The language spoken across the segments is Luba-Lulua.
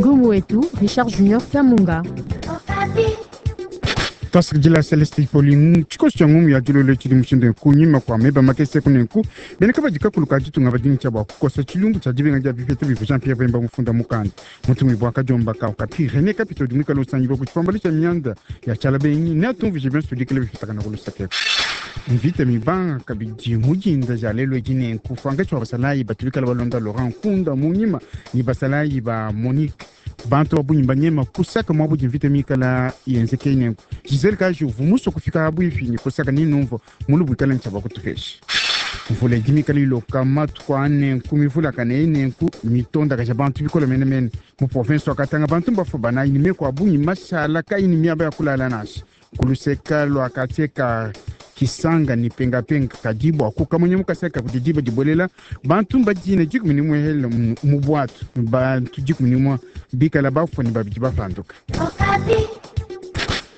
Ngumu wetu Richard Junior Kamunga. Twasakidila Celeste Pauline tshikoso tshia ngumu ya dilolo tshidi mushindu kunyima kua meba makese kunenku bena kabadi kakulu ka ditunga badi tshia bua kukosa tshilumbu tshia dibenga dia bipeta bivua Jean Pierre Bemba mufunda mukanda mutumibue wa ka Okapi Rene Kapito udi muikale usangibua ku tshipambalu tshia mianda ya tshiala benyi neatumvuije bionso bidikile bipitakana ku luseke mvita mibanga kabidi mu dinda dia lelu edi nenku pankatshi wa basalayi batu bikale balonda Laurent Nkunda mu nyima ne basalayi ba Monique bantu ba bungi banyema kusaka muabu di mvita mikala yenzeke nenku Gisele Kaji uvua musue kufika abuipi ne kusaka ne numvua mulubu ikala ntshia bakutupesha mvula idi mikale iloka matuku a nenku mivulakane eyi nenku mitondakaja bantu bikole menemene mu province wa Katanga bantu mbafue banayi ne meku a bungi mashala kayi ne miaba ya kulala nansha ku luseka lua quartier ka Kisanga ne Pengapenga kadi bua kukamunya mu kasai ka kudi diba dibuelela bantu mbadine dikumi ne muehele mu buatu bantu 11 bikala bafue ne babidi bapanduka.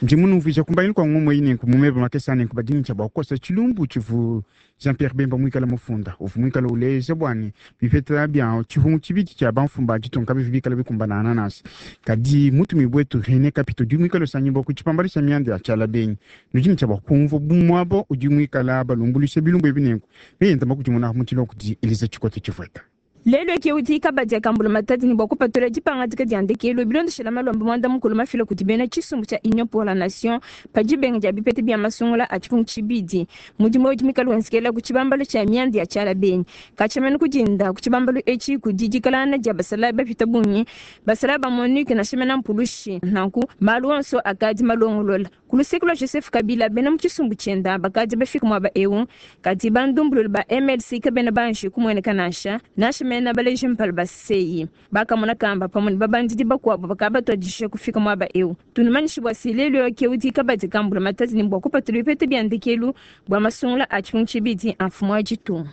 Ndi munumvuija kumbangilu kua ngumu eyi nenku mu meba makese a nenku badi ne tshia bua kukosa tshilumbu tshivu Jean-Pierre Bemba muikale mufunda uvua muikale uleja bua ne bipeta bia tshihungu tshibidi tshia bamfumu ba ditunga kabivua bikale bikumbanangana nansha. Kadi mutumibue wetu Rene Kapito udi muikale usangibua ku tshipambalu tshia mianda ya tshiala benyi nudi ne tshia bua kumvua bu muaba udi muikala balumbuluisha bilumbu ebi nenku neyenda makudimuna mu tshilua kudi Elisa Tshikote Tshivueta. Lelu ke udi kabadi ka mbulamatadi ne bua kupatula dipangadika dia ndekelu bilondeshila malomba muanda mukulu mafila kudi bena tshisumbu tshia Union pour la Nation pa dibenga dia bipeta bia masungula a tshipungu tshibidi. Mudimu udi muikale wenzekela ku tshibambalu tshia mianda ya tshiala benyi. Katshia mene ku dinda ku tshibambalu etshi kudi dikalangana dia basalayi bapite bungi, basalayi ba MONUC nansha mena mpulushi. Nanku malu onso akadi malongolola. Ku luseke lua Joseph Kabila, bena mu tshisumbu tshienda bakadi bafike muaba eu, kadi bandumbululu ba MLC kabena banji kumueneka nansha, nansha mena baleji mpala ba CI. Bakamona kamba pamue ne babandidi bakuabu bakadi batuadije kufika muaba eu. Tunumanyishe bua se, lelu eu ke udi kabadi ka mbulamatadi ne bua kupatula bipeta bia ndekelu bua masungula a tshipungu tshibidi a mfumu wa ditunga.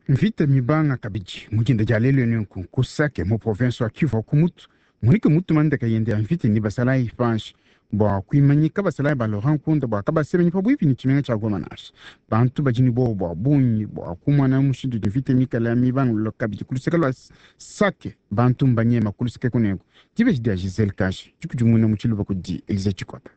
Mvita mibanga kabidi mu dinda dia lelu nenku ku Sake mu province wa Kivu wa ku mutu Monique mutuma ndeka yende ya mvita ne basalayi panshi bua kuimanyika basalayi ba Laurent Nkunda bua kabasemenyi pabuipi ne tshimenga tshia Goma nansha. Bantu badi ne buowa bua bungi bua kumona mushindu udi mvita mikale mibangulula kabidi ku luseke lua Sake. Bantu mbanyema ku luseke kuneku. Dibeji dia Gisele Kashi dikudimuna mu tshiluba kudi Elise Tshikota.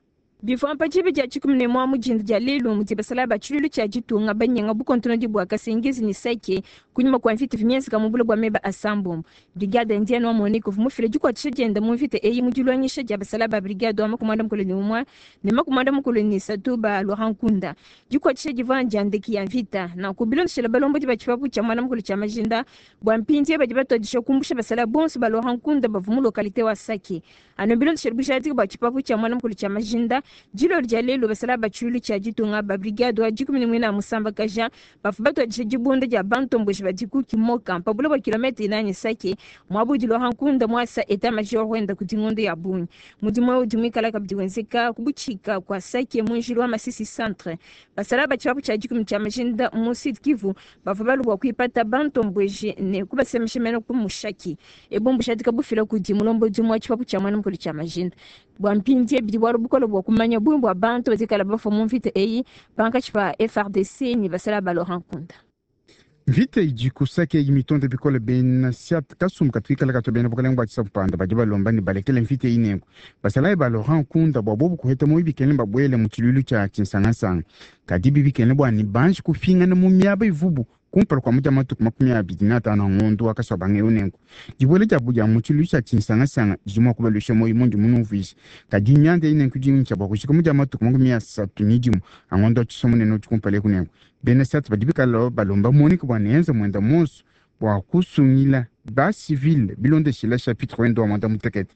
Bivua pa diba dia 11 mu dinda dia lelu mudi basalayi ba tshiluilu tshia ditunga banyenga bukontonodi bua Kasengezi ne Sake kunyima kua mvita ivua mienzeka mu bule bua meba asambombo. Brigade Indienne wa MONUC uvua mufile dikuatshisha dienda mu mvita eyi mu diluangisha dia basalayi ba brigade wa 51 ne 53 ba Laurent Nkunda. Dikuatshisha divua ndia ndeke ya mvita. Nanku bilondeshile balombodi ba tshipapu tshia muanda mukulu tshia majinda, bua mpindieu badi batuadija kumbusha basalayi bonso ba Laurent Nkunda bavua mu localite wa Sake. Anu bilondeshile bujadiki bua tshipapu tshia muanda mukulu tshia majinda, dilolo dia lelu basalayi ba tshiluilu tshia ditunga ba brigade wa dikumi ne muinayi musambakaja bavua batuadija dibunda dia bantomboji badi ku Kimoka pa bule bua kilometre inayi ne Sake, muaba udi Laurent Nkunda muasa etat major wenda kudi ngondo ya bungi. Mudimu eu udi muikala kabidi wenzeka ku butshika kua Sake mu njila wa Masisi Centre. Basalayi ba tshipapu tshia dikumi tshia majinda mu Sud Kivu bavua balue bua kuipata bantomboji ne kubasemesha mene ku Mushaki. Ebu mbujadika bufila kudi mulombodi umue wa tshipapu tshia muena mukulu tshia majinda. Bua mpindieu bidi bualu bukole bua kumanya bungi bua bantu badi bafua mu mvita eyi pankatshi pa FARDC ne basalayi ba Laurent Nkunda. Mvita idi ku Sake eyi mitonde bikole bena Siat kasumbu katu kikala katua bena bukalenge bua tshisampanda badi balomba ne balekele mvita eyi nenku basalayi ba Laurent Nkunda bua bobu kuheta muoyo bikengele babuele mu tshiluilu tshia tshinsangansanga kadi bibikengele bua ne banji kupingana mu miaba ivubu kumpala kua mudia matuku 25 a ngondo wa kasuabanga eu. Nenku dibuela diabu dia mu tshiluilu tshia tshinsangasanga didi mua kubaluisha muoyo mundi munumvuije kadi mianda eyi nenku idi bua kujika mudia matuku 31 a ngondo wa tshisomunene udi kumpala eku. Nenku bena Siat badi bikala balomba MONUC bua neenza muenda monso bua kusungila basivile bilondeshila chapitre wenda wa mwanda mutekete.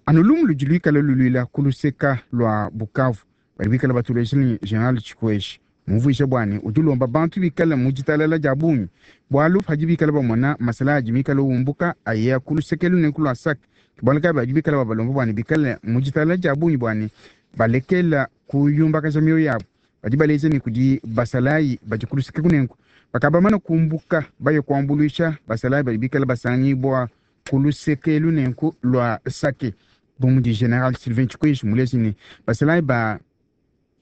Anu lumu ludi luikala luluila ku luseka lua Bukavu badi bikala batuleja ne General Tshikweshi mumvuija bua ne udi ulomba bantu bikale mu ditalala dia bungi bualu padi bikala bamona masala adi mikale umbuka aya ku luseke lunene ku lua Sake bualu kayi badi bikala babalomba bua ne bikale mu ditalala dia bungi bua ne balekela kuyumbakaja mioyo yabu. Badi baleja ne kudi basalayi badi ku luseke kunenku bakabamana kumbuka baye kuambuluisha basalayi badi bikala basangibua ku luseke lunenku lua Sake bu mudi General Sylvain Tshikweshi muleji ne basalayi ba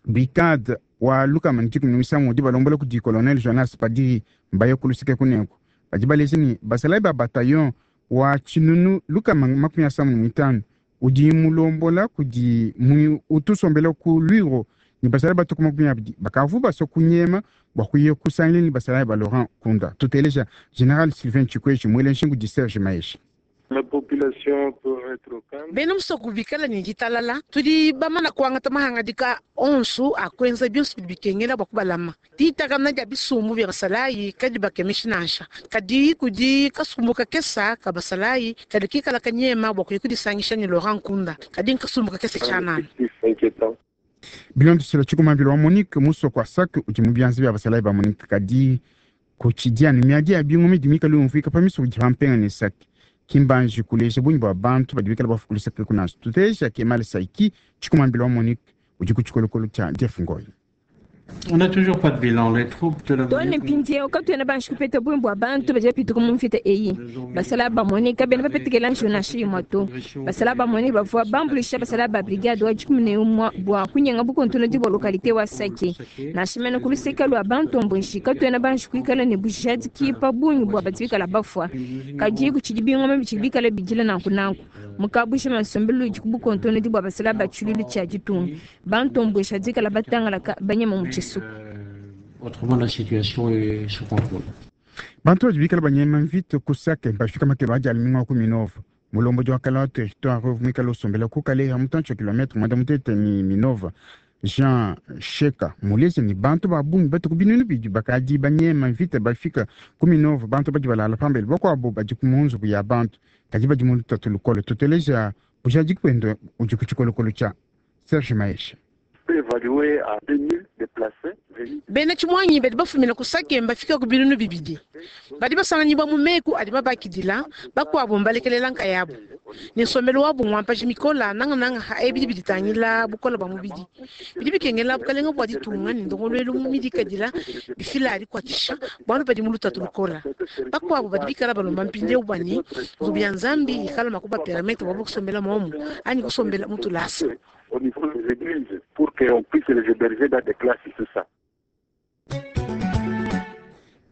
brigade wa lukama ne dikumi ne misangu udi balombola kudi Colonel Jonas Padiri mbaye ku luseke kunenku badi baleja ne basalayi ba bataillon. wa 1655 udi mulombola kudi utusombela ku Lwiro ne basalayi batuku 20 bakavu basua kunyema bua kuya kusangila ne basalayi ba Laurent Nkunda. Tuteleja General Sylvain Tshikweshi muele nshingu di Serge Maeshe. Bena musoko bikala ne ditalala, tudi bamana kuangata mahangadika onso a kuenza bionso bidi bikengela bua kubalama. Ditakana dia bisumbu bia basalayi kadi bakemeshi nansha, kadi kudi kasumbu kakesa ka basalayi kadi kikala kanyema bua kuya kudisangisha ne Laurent Nkunda, kadi nkasumbu kakese tshianana. Bilondeshela tshikumambila wa Monique musoko wa Sake udi mu bianza bia basalayi ba Monique, kadi kutshidianu miadi ya bingu midi mikale yumvuika pa misoko idi pa mpenga ne Sake. Kimbanji kuleja bungi bua bantu badi bikale bafukula Sake kunansha. Tuteleja Kemal Saiki tshikumambila wa Monique udi ku tshikolokolo tshia Jeff Ngoyi. On n'a toujours pas de bilan. Les troupes de la Too ne mpindieu katuena banji kupeta bungi bua bantu badi bapituka mu mvita eyi. Basalayi ba Monique kabena bapetekela njiwu nansha imue to. Basalayi ba Monique bavua bambuluisha basalayi ba brigade wa 11 bua kunyenga bukontonodi bua localité wa Sake. Nansha mene ku luseke lua bantomboji katuena banji kuikala ne bujadiki pa bungi bua badi bikala bafua. Kadi kutshidi bingoma bitshidi bikala bidila nanku nanku. Mu kabujima nsombelu udi ku bukontonodi bua basalayi ba tshiluilu tshia ditunga. Bantomboji badi bikala batangalaka banyema mu tshisuku. Autrement, la situation est sous contrôle. Bantu badi bikala banyema mvita ku Sake bafika makelo adi aliminga ku Minova. Mulombodi wa kala wa territoire muikale usombela ku Kaleha mutantshi wa kilometre 90 ni Minova. Jean Sheka muleze ni bantu ba bungi batuku binunu bidi bakadi banyema mvita bafika ku Minova. Bantu badi balala pambele bakuabo badi ku munzubu ya bantu kadi badi mu lutatu lukole. Tuteleja bujadiki buende udi ku tshikolokolo tshia Serge Maeshe. Bena tshimuangi badi bafumina ku Sake mbafika ku 2000. Badi basanganyibwa mu meku adi mabakidila, bakuabo mbalekelela nkayabu. Ne nsombelu wabu ngwampaji mikola nangananga ha ebidi biditangila bukola bua mubidi. Bidi bikengela bukalenga bua ditunga ne ndongoluelu mu midikadila bifila dikuatshisha bualu badi mu lutatu lukola. Bakuabo badi bikala balomba mpindieu bua ne nzubu ya Nzambi ikala mua kubapermettre bua kusombela momu anyi kusombela mu tulasa. Au niveau des églises pour qu'on puisse les héberger dans des classes, tout ça.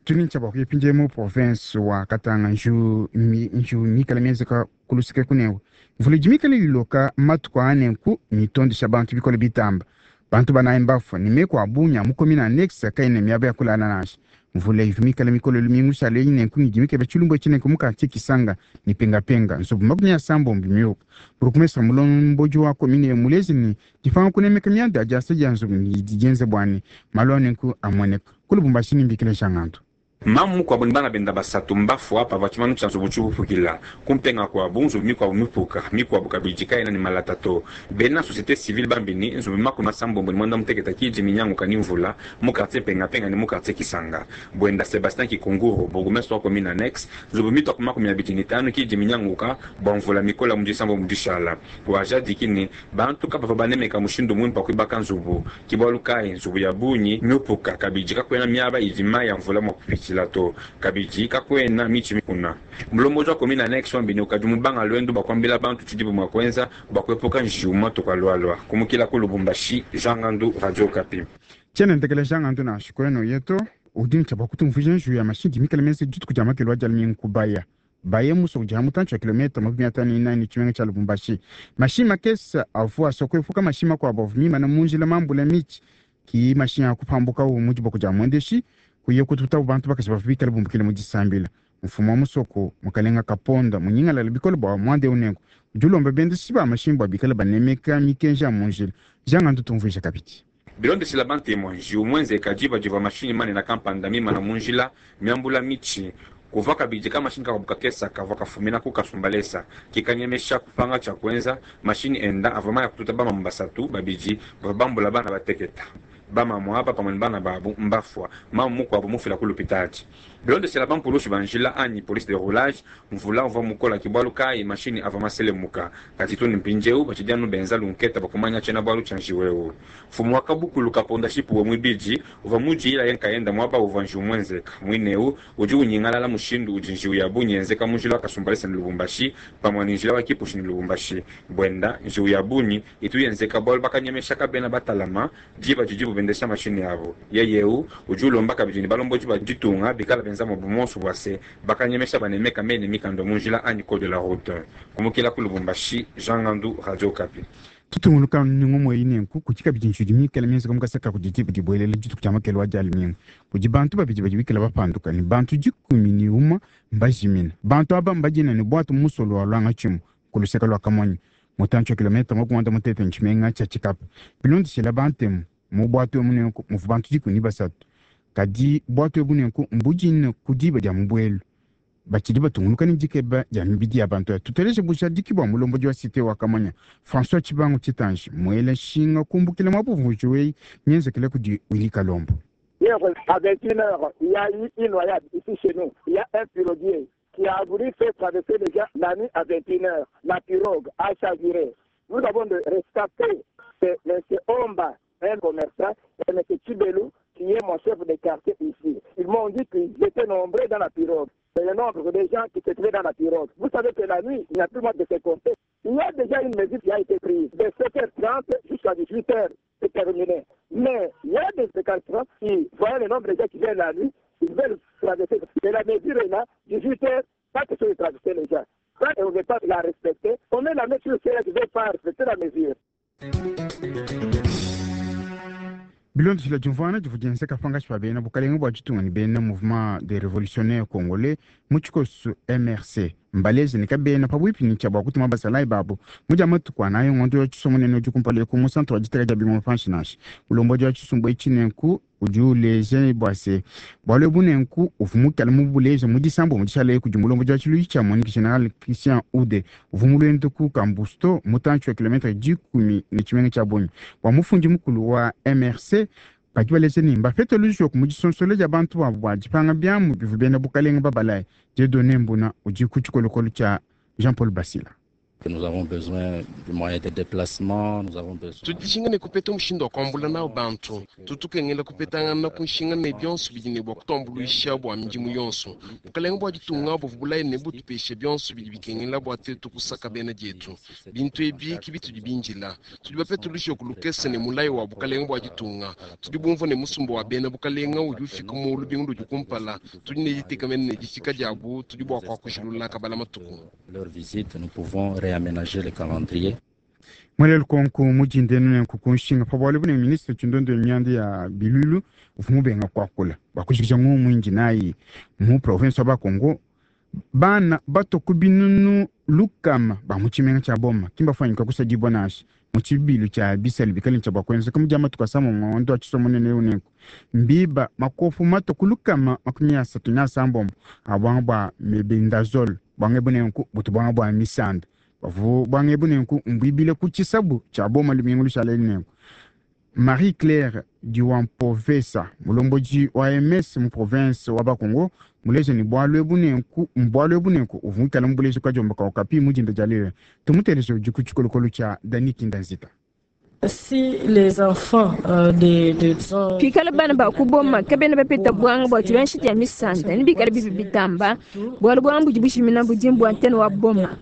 Tunincha bua kuyipindia mu province wa Katanga nju nju mikala mienzeka kuluseke kunewu. Mvula idi mikale iloka matuku anenku mitondesha bantu bikole bitamba. Bantu banayi mbafua ne meku a bungi a mu commune annexe kaena miaba ya kulala nansha. Mvula ivu mikale mikole lumingu lushala eyi nenku idi mikeba tshilumbu etshi nenku mu quartier Kisanga ne Pengapenga nzubu 30 miuka. Bourgmestre mulombodi wa commune muleze ne dipanga kunemeka mianda ya diasa dia nzubu idi dienze bua ne malu a nenku amueneka. Ku Lubumbashi ne mbikila Jangandu. Mamu mukuabu ne bana benda basatu mbafua pavua tshimanu tshia nzubu tshiupukila. Kumpenga kuabu nzubu mikuabu mipuka, mikuabu kabidi kayena ne malata to. Bena societe civile bambi ne nzubu 98 ki idi minyanguka ne mvula mu quartier Pengapenga ne mu quartier Kisanga. Buenda Sebastien Kikunguru, bourgmestre wa commune annexe, nzubu mitua ku 25 ki idi minyanguka bua mvula mikola mu disambo mu dishala. Wajadiki ne bantu kabavua banemeka mushindu muimpe wa kuibaka nzubu. Ke bualu kayi nzubu ya bungi miupuka kabidi kakuena miaba idi mayi a mvula mua kupitshila to. Kabidi kakuena mitshi mikuna. Mulombodi wa commune annexe wambi ne ukadi mubanga luendu bua kuambila bantu tshidibu mua kuenza bua kuepuka njiwu matuku alualua. Kumukila ku Lubumbashi, Jean Ngandu, Radio Okapi. Tshiena ntekela Jean Ngandu nansha kweno yetu udi ne tshia bua kutumvuija njiwu ya mashinyi mikale menze dituku dia makelo adi alumingu kubaya. Baye musoko udi ha mutantshi wa kilometre 54 ne tshimenga tshia Lubumbashi. Mashinyi makese avua asua kuepuka mashinyi makuabu avua mimana mu njila mambula mitshi ki mashinyi a kupambukawu mu diboko dia muendeshi kuya kututabu bantu bakaji bavua bikale bumbukile mu disambila. Mfumu wa musoko mukalenga Kaponda munyingalala bikole bua muanda eu nenku udi ulomba bendeshi ba mashinyi bua bikale banemeka mikenji ya mu njila. Jean Ngandu tumvuija kabidi. Bilondeshila bantemu, njiwu muenzeka diba divua mashinyi manene kampanda mimana mu njila miambula mitshi. Kuvua kabidi kamashinyi kakuabu kakesa kavua kafumina ku Kasumbalesa kikanyemesha kupanga tshia kuenza. Mashinyi enda avua maya kututa bamamu basatu, babidi bavua bambula bana bateketa. Bamamu aba pamue ne bana babu mbafua, mamu mukuabu mufila ku lupitadi. Bilondeshela bampulushi ba njila anyi police de roulage, mvula uvua mukola ke bualu kayi mashinyi avua maselemuka. Kadi too ne mpindieu batshidi anu benza lunketa bua kumanya tshiena bualu tshia njiwu eu. Mfumu wa kabukulu Kaponda Shipuwe muibidi uvua mudiyila ye nkayenda muaba uvua njiwu muenzeka. Muine eu udi unyingalala mushindu udi njiwu ya bungi yenzeka mu njila wa Kasumbalesa ne Lubumbashi pamue ne njila wa Kipushi ne Lubumbashi. Buenda, njiwu ya bungi itu yenzeka bualu bakanyemesha kabena batalama diba didibu bendesha mashinyi abu. Yeye eu udi ulomba kabidi ne balombodi ba ditunga bikala benza muabu monso bua se bakanyemesha banemeka meyi ne mikanda mu njila anyi code de la route. Kumukila ku Lubumbashi, Jean Ngandu, Radio Okapi. Tutunguluka ngumu eyi nenku kudi kabidi ntshidi mikale mienzeka mu kasaka kudi diba dibuelela dituku dia makelo wa dia lumingu. Kudi bantu babidi badi bikale bapanduka ne bantu 11 mbajimina. Bantu aba mbadina ne bwatu mu musolo wa lwanga tshimu ku luseke lua Kamonyi, mutantshi wa kilomètre 58 ne tshimenga tshia Tshikapa. Bilondeshela bantemu mu bwatu emu nenku muvua bantu 13. Kadi bwatu ebu nenku mbudine ku diba dia mubuelu. Batshidi batungunuka ne dikeba dia mibidi ya bantu aya. Tuteleje bujadiki bua mulombodi wa cité wa Kamonya, François Tshibangu Tshitanji, muela nshinga kumbukila muabuvuji weyi mienzekele kudi Willy Kalombo. Hier, à 21h, il y a eu une noyade ici chez nous. Il y a un piroguier qui a voulu faire traverser déjà la nuit à 21h. La pirogue a chaviré. Nous avons de rescapés. C'est M. Omba, un commerçant, et M. Chibelou, qui est mon chef de quartier ici. Ils m'ont dit qu'ils étaient nombreux dans la pirogue. C'est le nombre de gens qui se trouvaient dans la pirogue. Vous savez que la nuit, il n'y a plus moyen de se compter. Il y a déjà une mesure qui a été prise. De 7h30 jusqu'à 18h, c'est terminé. Mais il y a des récalcitrants qui, voyant le nombre de gens qui viennent la nuit, ils veulent traverser. Et la mesure est là, 18h, pas question de traverser les gens. Quand on ne veut pas la respecter, on met la main sur ceux qui ne veulent pas respecter la mesure. Bilondeshela diumvuana divua dienzeka pangatshi pa bena bukalenga bua ditunga ne bena mouvement des révolutionnaires congolais mu tshikoso MRC mbaleje ne kabena pabuipi ne tshia bua kutuma basalayi babu mu dia matuku anayi ngondo wa tshisumbu nene udi kumpala eku mu centre wa diteka dia bimuma panshi nansha. Mulombodi wa tshisumbu etshi nenku udi uleja bua se bualu ebu nenku uvua mukale mubuleja mu disambu mu dishala kudi mulombodi wa tshiluilu tshia MONUC General Christian Ude uvua mu luendu ku Kambusto mutantshi wa kilomètre 10 ne tshimenga tshia Bunia. Bua mufundi mukulu wa MRC badi baleja ne mbapete lujoku mu disonsola dia bantu babu bua dipanga biamu bivua bena bukalenga babalaye. Dieudonné Mbuna udi ku tshikolokolo tshia Jean-Paul Basila. Que nous avons besoin du moyen de déplacement, nous avons besoin. Tudishinga ne kupeta mushindu wa kuambula nawo bantu, tutukengela kupetangana ku nshinga ne bionso bidi ne bua kutuambuluisha bua midimu yonso. Bukalenga bua ditunga buvua bulaye ne butupeshe bionso bidi bikengela bua tetu kusaka bena dietu. Bintu ebi ke bitudi bindila. Tudi bapete lujoku lukese ne mulayi wa bukalenga bua ditunga. Tudi bumvua ne musumba wa bena bukalenga udi ufika mu lubingu ludi kumpala. Tudi ne ditekemena ne difika diabu, tudi bua kuakujilula kabala matuku. Leur visite, nous pouvons réaménager le calendrier. Mwele lukonko mujindenu nenku kunshinga pa bualu bune ministre Tshindonde mianda ya bilulu uvua mubenga kuakula bua kujikija ngumu inji nayi mu province wa Bakongo. Bana bato ku binunu lukama ba mu tshimenga tshia Boma kimbafuanyika kusadibua nansha mu tshibilu tshia bisali bikale tshia bua kuenzeka mu dia matuku asambombo ngondo wa tshisomo nene eu nenku mbiba makofu mato ku lukama 36 a buanga bua mebendazole buanga ebu nenku butu buanga bua misanda bavu buanga ebu nenku mbuibile ku tshisabu tshia Boma lumingu lushala eli nenku. Marie Claire Diwampovesa mulombodi wa MS mu province wa Bakongo muleje ne bualu ebu nenku mbualu ebu nenku uvua muikale mubuleje kwa diomba ka Okapi mu dinda dia lelo. Tumuteleje udi ku tshikolokolo tshia Dani Kindanzita. Si les enfants, de, de, disons, Pikala bana ba kuboma kabena bapeta bwanga bua tshibanshi dia misanda ni bikala bibi bitamba bualu bwanga budi bushimina budi mbua ntene wa boma.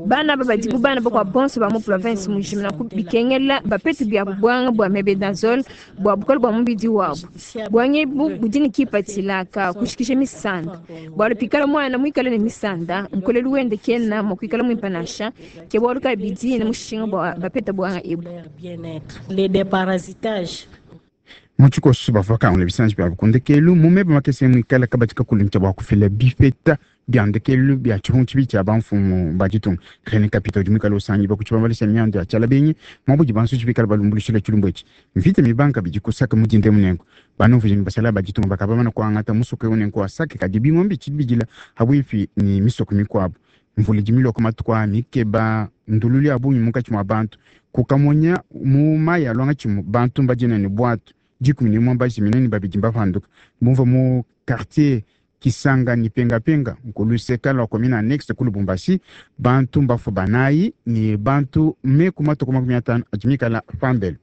Bana aba badi bu bana bakua bonso ba mu province mujimina ku bikengela bapete bia bwanga bua mebendazole bua bukole bua mubidi wabu. Bwanga ebu budi ne kipatshila ka kushikisha misanda bualu pikala mwana muikale ne misanda nkolelu wende kena mua kuikala muimpe nansha ke bualu kabidi ne mushinga bua bapete bwanga ebu. Les déparasitages. Mu tshikoso bavua kangula bisanji bia kundekelu mu meba makese muikale kabadi kakulu bua kufila bipeta bia ndekelu bia tshihungu tshibi tshia bamfumu ba ditunga. René Kapita udi muikale usangi bakutshibambalisa mianda ya tshialabenyi mwabudi bantu tshibikala balumbulushila tshilumbu etshi. Mvita mibanka bidi kusaka mu dinde munengo. Banumvuji ne basala ba ditunga bakabamana kuangata musoko eu nengo asake kadi bingombe tshibidila habwipi ni misoko mikuabu. Mvula idi miloko matuku a mikeba ndululu ya bungi munkatshi mua bantu. Kukamonya mu mayi alwanga tshimu bantu mbadina ne bwatu 11 mbajimina ne babidi mbapanduka. Bumva mu quartier Kisanga ni penga penga nkuluseka lwa commune annexe ku Lubumbashi bantu mbafu banayi ni bantu meku matuku 50 adi mikala pambelo.